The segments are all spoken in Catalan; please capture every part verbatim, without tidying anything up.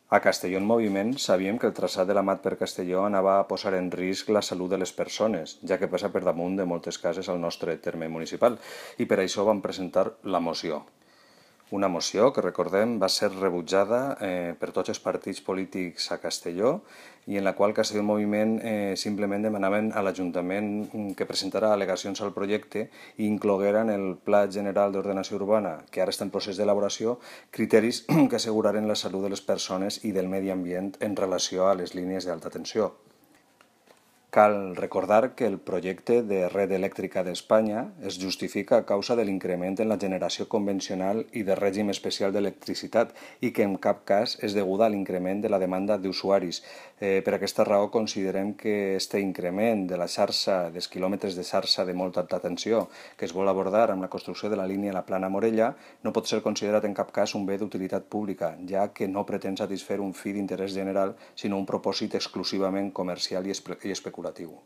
A Castelló en Moviment sabíem que el traçat de la Mat per Castelló anava a posar en risc la salut de les persones, ja que passa per damunt de moltes cases al nostre terme municipal, i per això vam presentar la moció. Una moció que, recordem, va ser rebutjada eh, per tots els partits polítics a Castelló i en la qual Castelló en Moviment eh, simplement demanaven a l'Ajuntament que presentara al·legacions al projecte i incloguera en el Pla General d'Ordenació Urbana, que ara està en procés d'elaboració, criteris que asseguraren la salut de les persones i del medi ambient en relació a les línies d'alta tensió. Cal recordar que el projecte de Red Elèctrica d'Espanya es justifica a causa de l'increment en la generació convencional i de règim especial d'electricitat i que en cap cas és deguda a l'increment de la demanda d'usuaris. Eh, per aquesta raó considerem que aquest increment de la xarxa, dels quilòmetres de xarxa de molta alta tensió que es vol abordar amb la construcció de la línia La Plana-Morella no pot ser considerat en cap cas un bé d'utilitat pública, ja que no pretén satisfer un fi d'interès general, sinó un propòsit exclusivament comercial i especulatiu.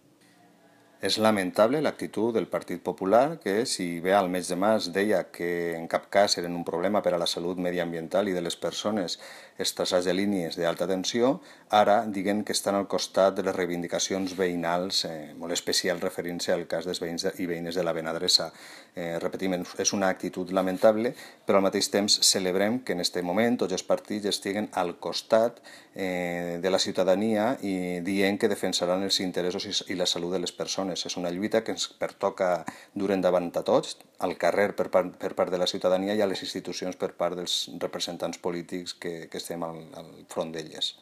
És lamentable l'actitud del Partit Popular que, si bé al mes de març deia que en cap cas eren un problema per a la salut mediambiental i de les persones els traçats de línies d'alta tensió, ara diguen que estan al costat de les reivindicacions veïnals, eh, molt especial referint-se al cas dels veïns i veïnes de la Benadressa. Eh, repetim, és una actitud lamentable, però al mateix temps celebrem que en aquest moment tots els partits estiguen al costat eh, de la ciutadania i dient que defensaran els interessos i la salut de les persones. És una lluita que ens pertoca dur endavant a tots, al carrer per part, per part de la ciutadania i a les institucions per part dels representants polítics que, que estem al, al front d'elles.